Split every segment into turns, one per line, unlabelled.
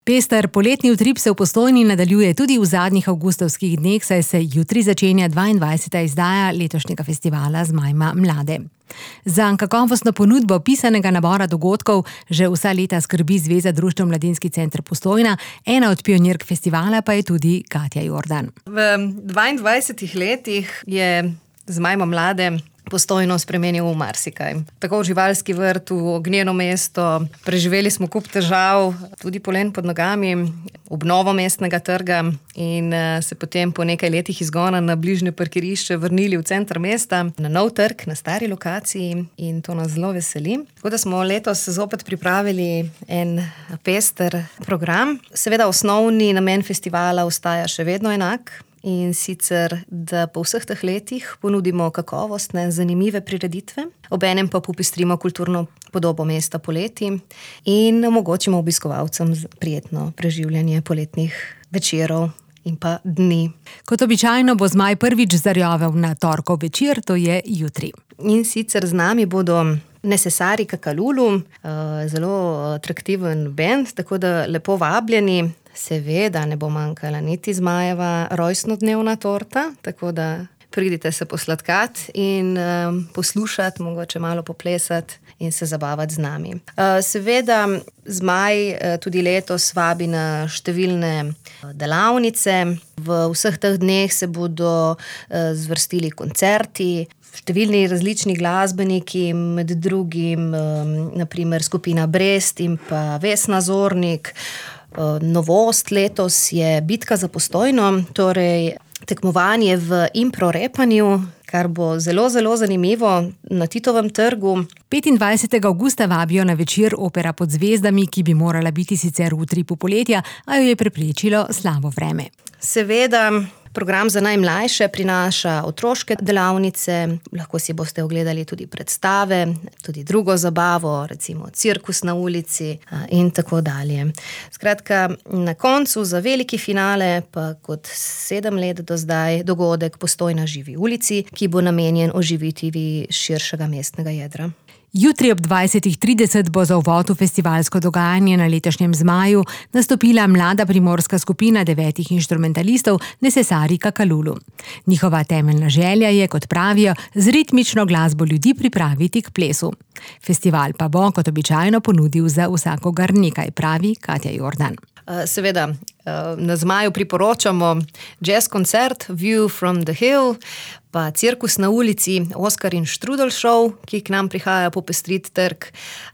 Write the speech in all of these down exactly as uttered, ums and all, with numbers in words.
Pester poletni utrip se v Postojni nadaljuje tudi v zadnjih avgustovskih dneh, saj se jutri začenja dvaindvajseta izdaja letošnjega festivala Zmajma mlade. Za kakovostno ponudbo pisanega nabora dogodkov že vsa leta skrbi Zveza društev Mladinski center Postojna, ena od pionirk festivala pa je tudi Katja Jordan.
V dvaindvajsetih letih je Zmajma mlade Postojno spremenil v marsikaj. Tako v živalski vrt, v ognjeno mesto, preživeli smo kup težav, tudi polen pod nogami, obnovo mestnega trga in se potem po nekaj letih izgona na bližnje parkirišče vrnili v center mesta, na nov trg, na stari lokaciji in to nas zelo veseli. Tako da smo letos zopet pripravili en pester program. Seveda osnovni namen festivala ostaja še vedno enak. In sicer, da po vseh teh letih ponudimo kakovostne, zanimive prireditve, obenem pa popestrimo kulturno podobo mesta poleti in omogočimo obiskovalcem prijetno preživljanje poletnih večerov in pa dni.
Kot običajno bo Zmaj prvič zarjovel na torkov večer, to je jutri.
In sicer z nami bodo Necessari Kakalulu, zelo atraktiven bend, tako da lepo vabljeni. Seveda ne bo manjkala niti Zmajeva rojstnodnevna torta, tako da pridite se posladkat in um, poslušati, mogoče malo poplesati in se zabavati z nami. Uh, seveda Zmaj uh, tudi letos vabi na številne delavnice. V vseh teh dneh se bodo uh, zvrstili koncerti, številni različni glasbeniki, med drugim um, naprimer skupina Brest in pa Vesna Zornik. Novost letos je Bitka za Postojno, torej tekmovanje v impro-repanju, kar bo zelo, zelo zanimivo na Titovem trgu.
petindvajsetega avgusta vabijo na večer Opera pod zvezdami, ki bi morala biti sicer v utripu poletja, a jo je preprečilo slabo vreme.
Seveda, program za najmlajše prinaša otroške delavnice, lahko si boste ogledali tudi predstave, tudi drugo zabavo, recimo cirkus na ulici in tako dalje. Skratka, na koncu za veliki finale pa kot sedem let do zdaj dogodek Postojna živi v ulici, ki bo namenjen oživitvi širšega mestnega jedra.
Jutri ob dvajsetih trideset bo za uvod v festivalsko dogajanje na letošnjem Zmaju nastopila mlada primorska skupina devetih inštrumentalistov Necessari Kakalulu. Njihova temeljna želja je, kot pravijo, z ritmično glasbo ljudi pripraviti k plesu. Festival pa bo, kot običajno, ponudil za vsakogar nekaj, pravi Katja Jordan.
Seveda, na Zmaju priporočamo jazz koncert View from the Hill, pa cirkus na ulici Oskar in Štrudel show, ki k nam prihaja popestriti trg.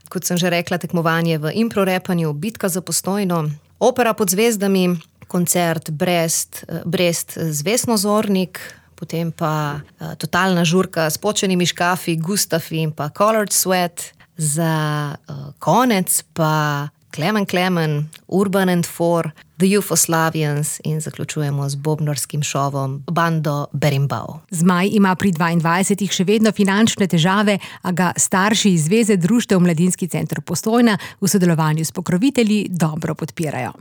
Kot sem že rekla, tekmovanje v impro-repanju, Bitka za Postojno, Opera pod zvezdami, koncert Brest, Brest z Vesno Zornik, potem pa totalna žurka s Počenimi škafi, Gustafi in pa Colored Sweat, za konec pa Klemen Klemen, Urban and Four, The Yugoslavians in zaključujemo z bobnarskim šovom Bando Berimbau.
Zmaj ima pri dvaindvajsetih še vedno finančne težave, a ga starši iz Zveze društev Mladinski center Postojna v sodelovanju s pokrovitelji dobro podpirajo.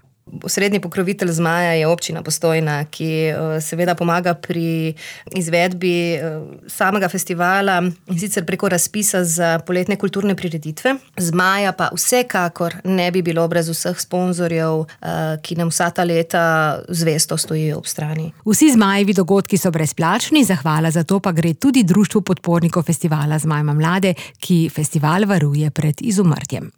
Osrednji pokrovitelj Zmaja je občina Postojna, ki seveda pomaga pri izvedbi samega festivala in sicer preko razpisa za poletne kulturne prireditve. Zmaja pa vsekakor ne bi bilo brez vseh sponzorjev, ki nam vsa ta leta zvesto stojijo ob strani.
Vsi Zmajevi dogodki so brezplačni, zahvala za to pa gre tudi društvu podpornikov festivala Zmajma mlade, ki festival varuje pred izumrtjem.